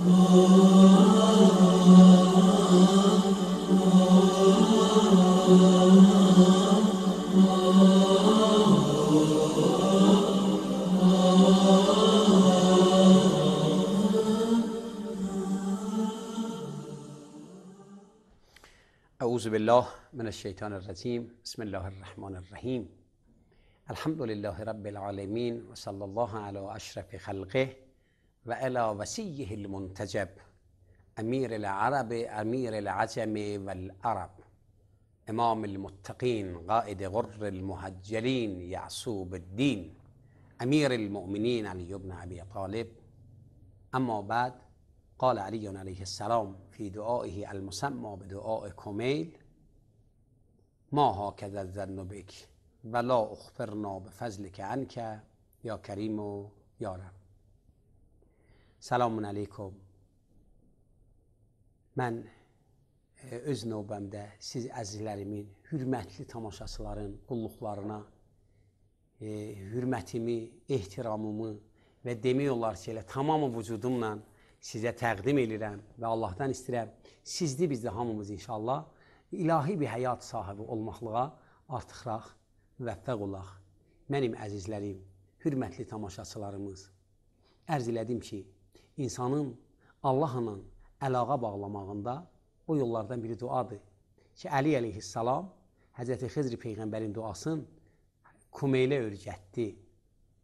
اعوذ بالله من الشیطان الرجیم. بسم الله الرحمن الرحیم. الحمد لله رب العالمین و صلی الله علی اشرف خلقه و علی وصیه المنتجب امیر العرب امیر العجم والعرب امام المتقین قائد غر المحجلین یعصوب الدین امیر المؤمنین علی بن ابی طالب. اما بعد، قال علی علیه السلام فی دعائه المسمى بدعاء کمیل: ما هکذا الظن بک ولا اخبرنا بفضلک عنک یا کریم و یا رب. Selamun aleyküm. Mən öz növbəmdə siz əzizlərimin, hürmətli tamaşaçıların qulluqlarına hürmətimi, ehtiramımı və demək olar ki, elə tamamı vücudumla sizə təqdim edirəm və Allahdan istəyirəm, sizdə bizdə hamımız inşallah ilahi bir həyat sahibi olmaqlığa artıqraq müvəffəq olaq. Mənim əzizlərim, hürmətli tamaşaçılarımız, ərz elədim ki, insanın Allahla əlaqə bağlamağında o yollardan biri duadır ki, Əli əleyhissalam Həzrəti Xizr Peyğəmbərin duasını Kumeylə öyrətdi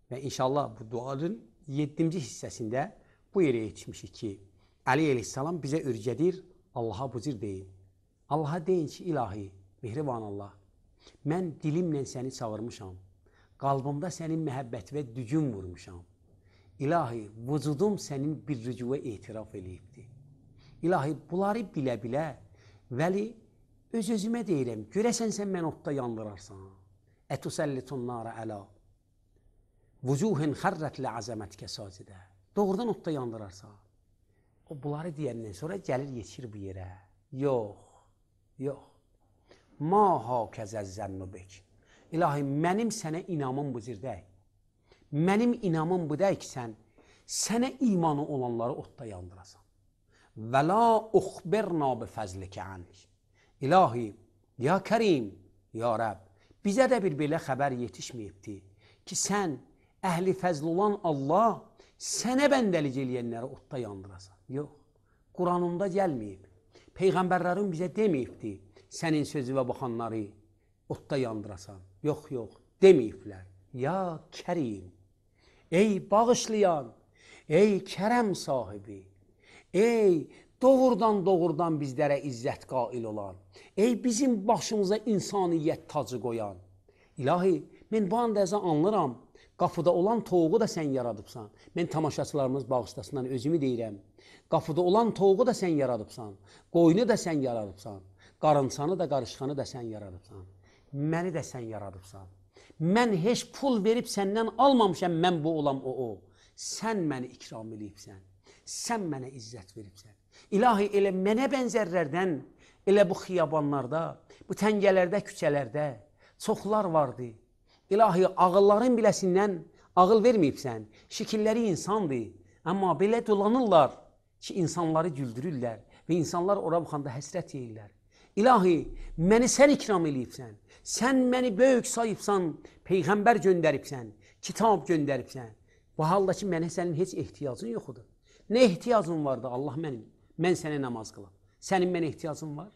və inşallah bu duanın 7-ci hissəsində bu yerə yetişmişik ki, Əli əleyhissalam bizə öyrədir, Allaha bu cür deyin. Allaha deyin ki, ilahi, mehriban Allah, mən dilimlə səni çağırmışam, qalbımda sənin məhəbbət və dügün vurmuşam. İlahi, vücudum sənin bir rücuva etiraf eləyibdir. İlahi, bunları bilə-bilə, vəli, öz-özümə deyirəm, görəsən sən mən odda yandırarsan. Ətusəllitun nara əla, vücuhun xərrət lə'azəmətkə sacidə. Doğrudan odda yandırarsan. O, bunları deyəndən sonra gəlir, yetişir bu yerə. Yox, yox. Ma hakəzə zənnu bek. İlahi, mənim sənə inamım bu zirdək. Mənim inamım bu deyək ki, sənə imanı olanları odda yandırasan. Və la uxbirna bifəzlikə ank. İlahi, ya Kərim, ya Rəbb, bizə də bir belə xəbər yetişməyibdir ki, sən əhli fəzl olan Allah sənə bəndəlik eləyənləri odda yandırasan. Yox, Quranında gəlməyib. Peyğəmbərlərin bizə deməyibdir, sənin sözüvə baxanları odda yandırasan. Yox, yox, deməyiblər. Ya Kərim, ey bağışlayan, ey kərəm sahibi, ey doğrudan bizlərə izzət qail olan, ey bizim başımıza insaniyyət tacı qoyan. İlahi, mən bu anda anlıram, qapıda olan toğu da sən yaradıbsan. Mən tamaşaçılarımız bağışlasından özümü deyirəm. Qapıda olan toğu da sən yaradıbsan, qoyunu da sən yaradıbsan, qarınçanı da, qarışqanı da sən yaradıbsan, məni də sən yaradıbsan. Mən heç pul verib səndən almamışam, mən bu olam o. Sən məni ikram edibsən, sən mənə izzət veribsən. İlahi, elə mənə bənzərlərdən, elə bu xiyabanlarda, bu təngələrdə, küçələrdə çoxlar vardı. İlahi, ağılların biləsindən ağıl verməyibsən, şəkilləri insandır. Amma belə dolanırlar ki, insanları güldürürlər və insanlar ora baxanda həsrət yeyirlər. İlahi, məni sən ikram eləyibsən, sən məni böyük sayıbsan, Peyğəmbər göndəribsən, kitab göndəribsən. Bu halda ki, mənə sənin heç ehtiyacın yoxudur. Nə ehtiyacın vardı Allah mənim? Mən sənə namaz qılım. Sənin mənə ehtiyacın var?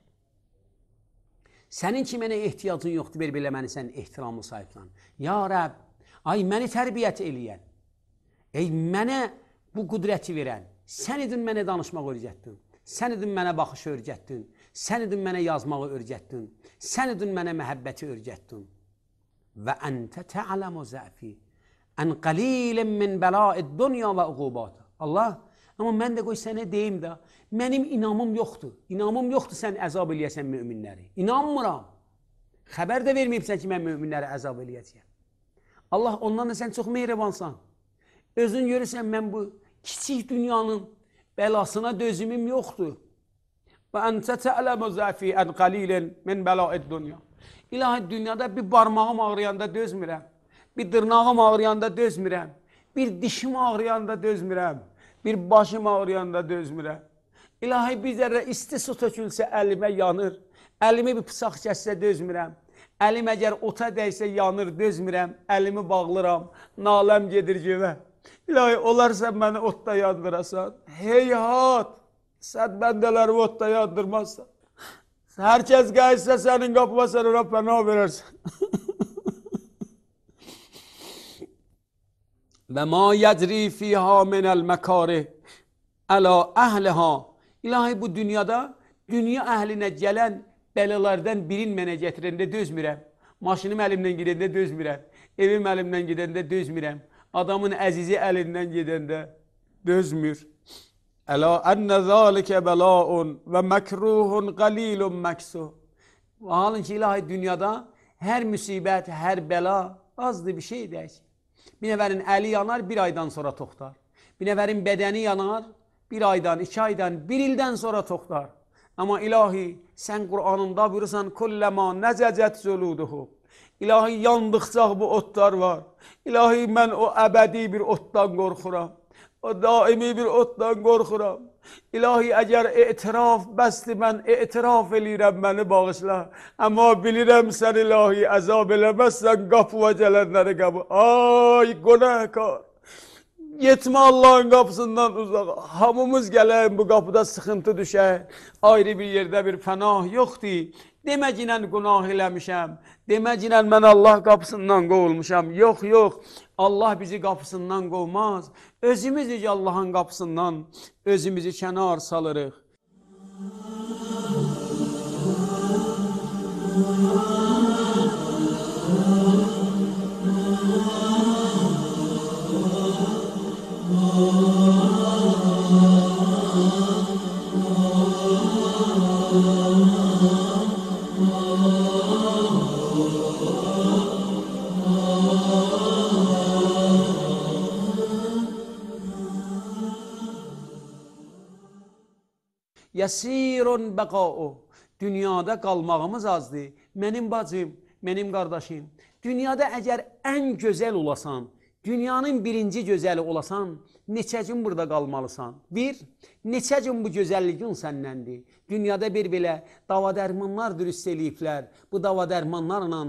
Sənin ki, mənə ehtiyacın yoxdur, belə məni sən ehtiramlı sayıbsan. Ya Rəbb, ay məni tərbiyyət eləyən, ey mənə bu qüdrəti verən, sən idin mənə danışmaq öyrətdin, sən idin mənə baxış öyrətdin, sən idin mənə yazmağı öyrətdin, sən idin mənə məhəbbəti öyrətdin. Və əntə tə'ələmu zəfi ən qalilin min bəlaid dünya və uqubatı. Allah, amma mən də qoy sənə deyim də, mənim inamım yoxdur. İnamım yoxdur sən əzab eləyəsən müminləri. İnanmıram. Xəbər də verməyibsən ki, mən müminləri əzab eləyəcəyəm. Allah, ondan da sən çox mehribansan. Özün görürsən, mən bu kiçik dünyanın bəlasına dözümüm yoxdur. Və əntə tə'ləmu zəfi ən qalilin min bəlaid dünya. İlahi, dünyada bir barmağım ağrıyanda dözmürəm. Bir dırnağım ağrıyanda dözmürəm. Bir dişim ağrıyanda dözmürəm. Bir başım ağrıyanda dözmürəm. İlahi bir zərrə isti su tökülsə əlimə yanır. Əlimi bir pısaq kəssə dözmürəm. Əlim əgər ota dəysə yanır, dözmürəm. Əlimi bağlıram, naləm gedir göyə. İlahi olar sən məni otda yandırasan. Heyhat, sən bəndələri otda yandırmazsan. Hər kəs gəlsə sənin qapıma sən ona pənah verərsən. Və ma yəcri fiyha minəl məkari əla əhliha. İlahi bu dünyada, dünya əhlinə gələn bəlalardan birin mənə gətirəndə dözmürəm. Maşınım əlimdən gedəndə dözmürəm. Evim əlimdən gedəndə dözmürəm. Adamın əzizi əlindən gedəndə dözmür. Əla ənə zəlikə bəlaun və məkruhun qalilun məksuh. Halın ki, ilahi dünyada hər müsibət, hər bəla azdır bir şey deyək. Bir nəfərin əli yanar, bir aydan sonra toxtar. Bir nəfərin bədəni yanar, bir aydan, 2 aydan, 1 ildən sonra toxtar. Amma ilahi, sən Qur'anında buyursan, kulləmə nəzəcət zuluduhu. İlahi, yandıqca bu otlar var. İlahi, mən o əbədi bir otdan qorxuram. O daimi bir otdan qorxuram. İlahi, əgər etiraf bəsdir, mən etiraf eləyirəm, məni bağışla. Amma bilirəm sən ilahi, əzab eləməzsən, qapıva gələnləri qapı. Ay, qonaqkar. Yetmə Allahın qapısından uzaq. Hamımız gələyim bu qapıda sıxıntı düşək. Ayrı bir yerdə bir pənah yoxdur. Deməcinən günah eləmişəm. Deməcinən mən Allah qapısından qovulmuşam. Yox, yox. Allah bizi qapısından qovmaz. Özümüzü Allahın qapısından özümüzü kənar salırıq. Yəsirun bəqa'u. Dünyada qalmağımız azdır. Mənim bacım, mənim qardaşım. Dünyada əgər ən gözəl olasan, dünyanın birinci gözəli olasan, neçə gün burada qalmalısan? Bir, neçə gün bu gözəlliyin səndəndir? Dünyada bir belə davadərmanlar dürüst eləyiblər. Bu davadərmanlarla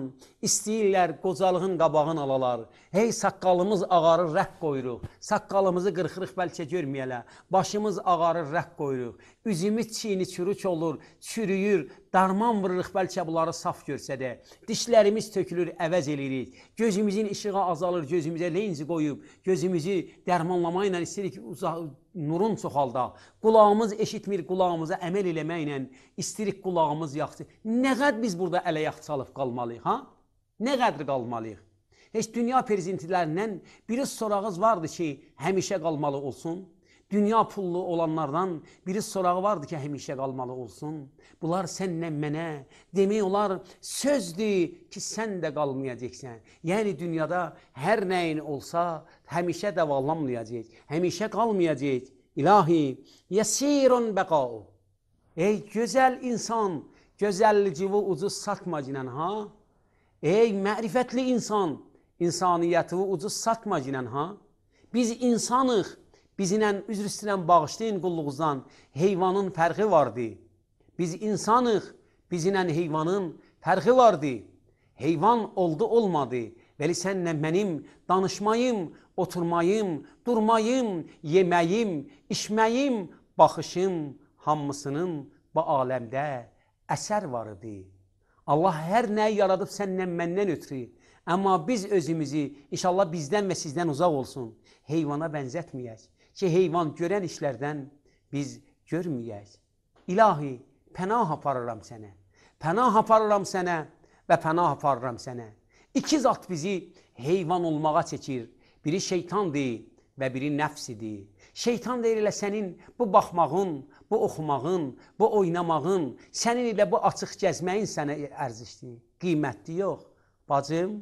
istəyirlər qocalığın qabağını alalar. Hey, saqqalımız ağarır, rəq qoyuruq. Saqqalımızı qırxırıq, bəlkə görməyələ. Başımız ağarır, rəq qoyuruq. Üzümüz çiğni çürük olur, çürüyür. Darman vırırıq, bəlkə bunları saf görsə də. Dişlərimiz tökülür, əvəz eləyirik. Gözümüzün işığı azalır, gözümüzə lenzi qoyub. Gözümüzü dərmanlama ilə istəyirik nurun çoxalda. Qulağımız eşitmir, qulağımıza əməl eləməklə istəyirik qulağımız yaxşı. Nə qədər biz burada ələ-yax çalıb qalmalıyıq, ha? Nə qədər qalmalıyıq? Heç dünya prezidentlərindən biri sorağız vardı ki, həmişə qalmalı olsun. Dünya pullu olanlardan biri sorağı vardı ki, həmişə qalmalı olsun. Bunlar sənlə mənə demək olar sözdür ki, sən də qalmayacaqsən. Yəni dünyada hər nəyin olsa həmişə davamlamayacaq, həmişə qalmayacaq. İlahi, yəsirun bəqa'u. Ey gözəl insan, gözəlliyi ucuz satma cinən, ha? Ey mərifətli insan, insaniyyəti ucuz satma cinən, ha? Biz insanıq. Bizlə üzr istəyirəm, bağışlayın qulluğunuzdan, heyvanın fərqi vardı. Biz insanıq, bizlə heyvanın fərqi vardı. Heyvan oldu, olmadı. Vəli sənlə mənim danışmayım, oturmayım, durmayım, yeməyim, içməyim, baxışım, hamısının bu aləmdə əsər var idi. Allah hər nəyi yaradıb sənlə məndən ötürü. Amma biz özümüzü, inşallah bizdən və sizdən uzaq olsun, heyvana bənzətməyək. Ki, heyvan görən işlərdən biz görməyək. İlahi, pənah aparıram sənə. Pənah aparıram sənə və pənah aparıram sənə. İki zat bizi heyvan olmağa çəkir. Biri şeytandır və biri nəfsidir. Şeytan deyir elə sənin bu baxmağın, bu oxumağın, bu oynamağın, sənin elə bu açıq gəzməyin sənə ərzişdir. Qiymətli yox. Bacım,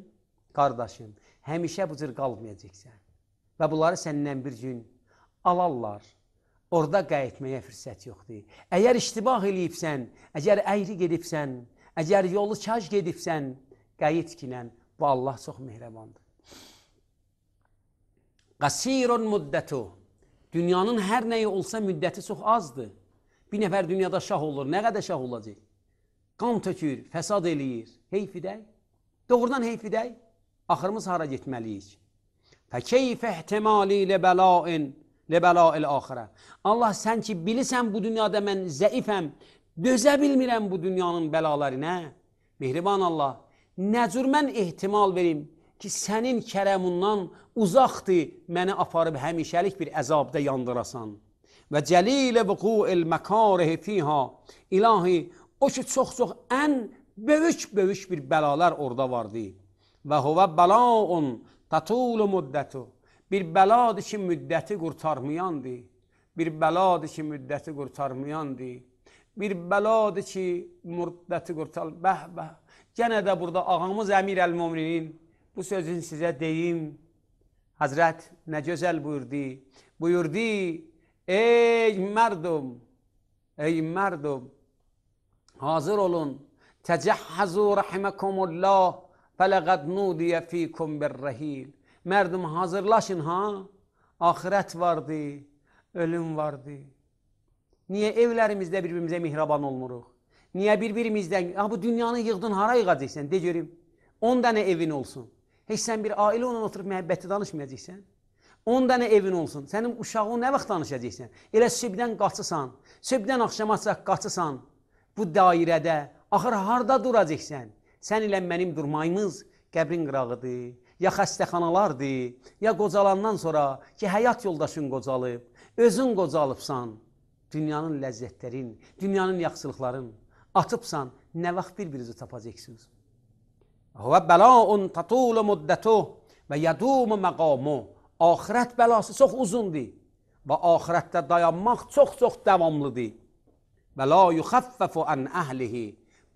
qardaşım, həmişə bu cür qalmayacaqsən. Və bunları səndən bir gün alarlar. Orada qayıtmaya fürsət yoxdur. Əgər iştibah eləyibsən, əgər əyri gedibsən, əgər yolu kaş gedibsən, qayıt kinən. Bu Allah çox mehribandır. Qasirun müddətu. Dünyanın hər nəyi olsa müddəti çox azdır. Bir nəfər dünyada şah olur, nə qədər şah olacaq? Qan tökür, fəsad eləyir. Heyf edək. Doğrudan heyf edək. Axırımız hara getməliyik? Fəkeyfə ihtimali ləbələil axirə. Allah sən ki, bilirsən bu dünyada mən zəifəm, dözə bilmirəm bu dünyanın bəlalarına. Mehriban Allah, nə cür mən ehtimal verim ki, sənin kərəmundan uzaqdır, məni aparıb həmişəlik bir əzabda yandırasan. Və cəlilə vüqu'il məkarihi fiha. İlahi, o ki, çox-çox ən böyük bir bəlalar orada vardı. Və huvə bəlaun tatulu müddətu. Bir bəladır ki, müddəti qurtarmayandır. Bir bəladır ki, müddəti qurtarmayandır. Bir bəladır ki, müddəti qurtarmayandır. Gənə də burada ağamız Əmir Əl-Müminin bu sözün sizə deyim. Həzrət nə gözəl buyurdu. Buyurdu, ey mərdum, hazır olun. Təcəhhəzu rəhiməkumullah, fələqəd nudiyə fikum birrəhil. Mərdum, hazırlaşın, ha? Ahirət vardı, ölüm vardı. Niyə evlərimizdə bir-birimizə mihraban olmuruq? Niyə bir-birimizdən, bu dünyanı yığdın, hara yığacaqsən? De görüm, 10 dənə evin olsun. Heç sən bir ailə onunla oturub məhəbbəti danışmayacaqsən. 10 dənə evin olsun. Sənin uşağın nə vaxt danışacaqsən? Elə sübdən qaçısan, sübdən axşama qaçısan bu dairədə, axır harada duracaqsən? Sən ilə mənim durmayımız qəbrin qırağıdır, ya xəstəxanalardır, ya qocalandan sonra ki, həyat yoldaşın qocalıb, özün qocalıbsan, dünyanın ləzzətlərin, dünyanın yaxşılıqların atıbsan, nə vaxt bir-birinizi tapacaqsınız? Və bəlaun tatulu müddətuh və yədumu məqamu. Ahirət bəlası çox uzundur və ahirətdə dayanmaq çox-çox davamlıdır. Və la yuxəffəfu ən əhlihi.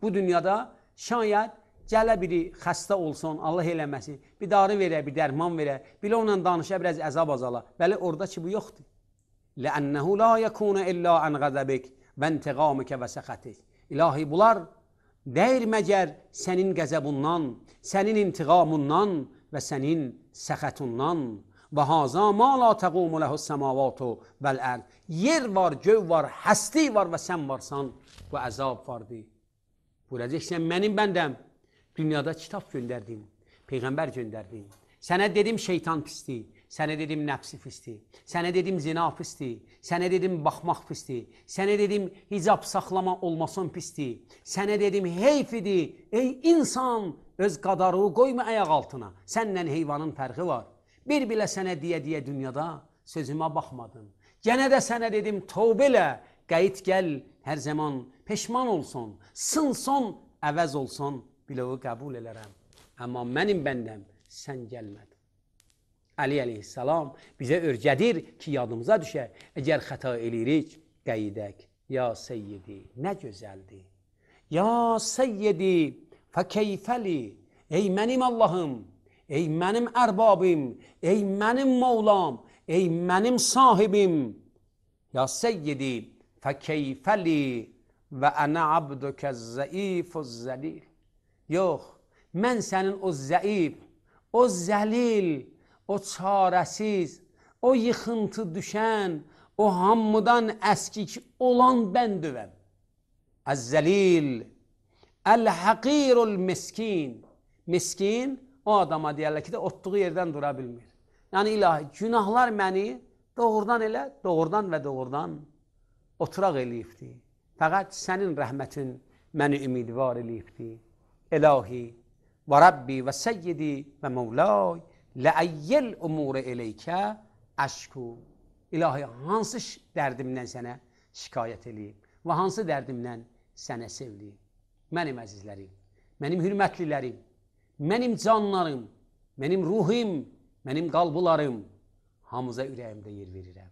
Bu dünyada şayət gələ biri xəstə olsun, Allah eləməsin, bir darı verə, bir dərman verə, bilə onunla danışa, biraz əzab azala. Bəli, orada ki, bu yoxdur. Ləənnəhu la yəkuna illə ən qəzəbik və intiqamikə və səxətik. İlahi, bunlar deyir məgər sənin qəzəbundan, sənin intiqamundan və sənin səxətundan. Və haza ma la təqumu ləhus səmavatu vəl-ərd. Yer var, göv var, həsti var və sən varsan və əzab vardır. Buyuracaqsən, mənim bəndəm, dünyada kitab göndərdim, Peyğəmbər göndərdim. Sənə dedim şeytan pisdir, sənə dedim nəfsi pisdir, sənə dedim zina pisdir, sənə dedim baxmaq pisdir, sənə dedim hicab saxlama olmasın pisdir, sənə dedim heyf idi, ey insan, öz qadarığı qoyma ayaq altına, səndən heyvanın fərqi var. Bir bilə sənə deyə dünyada sözümə baxmadın. Gənə də sənə dedim tövbə elə, qayıt gəl, hər zaman peşman olsun, sınson, əvəz olsun, biləvi qəbul elərəm. Amma mənim bəndəm, sən gəlmədin. Əli əleyhissalam bizə örgədir ki, yadımıza düşə, əgər xəta eləyirik, qayıdək. Ya seyyidi, nə gözəldir. Ya seyyidi, fəkeyfəli, ey mənim Allahım, ey mənim ərbabim, ey mənim Mevlam, ey mənim sahibim. Ya seyyidi, fəkeyfəli və ənə abdükə zəifuz zəlil. Yox, mən sənin o zəif, o zəlil, o çarəsiz, o yıxıntı düşən, o hamıdan əskik olan bəndüvəm. Əz-zəlil, əl-həqirul miskin. Miskin, o adama deyərlər ki, otduğu yerdən dura bilmir. Yəni ilahi, günahlar məni doğrudan elə, doğrudan və doğrudan oturaq eləyibdir. Fəqət sənin rəhmətin məni ümidvar eləyibdir. İlahi, və Rabbi və Səyyidi və Mevlay, ləəyyəl umuru eleykə əşku. İlahi, hansı dərdimdən sənə şikayət eləyib və hansı dərdimdən sənə sevliyib? Mənim əzizlərim, mənim hürmətlilərim, mənim canlarım, mənim ruhim, mənim qalbularım, hamıza ürəyimdə yer verirəm.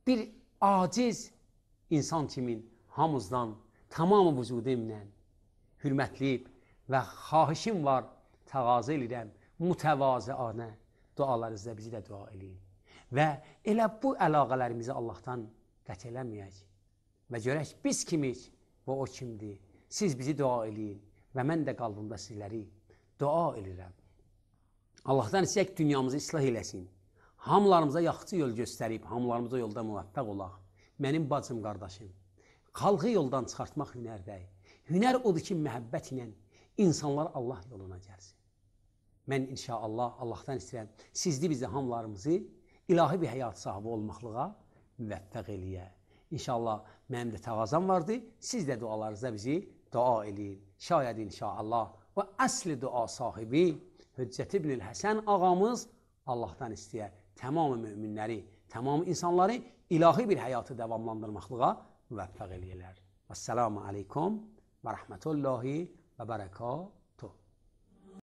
Bir aciz insan kimin hamızdan tamamı vücudumla hürmətliyib və xahişim var, təqazı edirəm, mütəvazıanə dualarınızda bizi də dua eləyin. Və elə bu əlaqələrimizi Allahdan qət eləməyək və görək biz kimik və o kimdir. Siz bizi dua eləyin və mən də qalbımda sizləri dua edirəm. Allahdan istəyək dünyamızı islah eləsin. hamılarımıza yaxşı yol göstərib, hamılarımıza yolda müvəffəq olaq. Mənim bacım, qardaşım, xalqı yoldan çıxartmaq hünərdəyik. Hünər odur ki, məhəbbət ilə insanlar Allah yoluna gəlsin. Mən inşallah Allahdan istəyirəm, sizli bizi hamılarımızı ilahi bir həyat sahibi olmaqlığa müvəffəq eləyə. İnşallah mənim də təvazam vardı, siz də dualarınızda bizi dua eləyin. Şayət inşallah və əsli dua sahibi Hüccət İbn Həsən ağamız Allahdan istəyər. Tamam müminləri, tamam insanları ilahi bir həyatı davamlandırmaqlığa müvəffəq eləyirlər. Vəssalamu aleykum və rəhmətullahi və bərəkatuhu.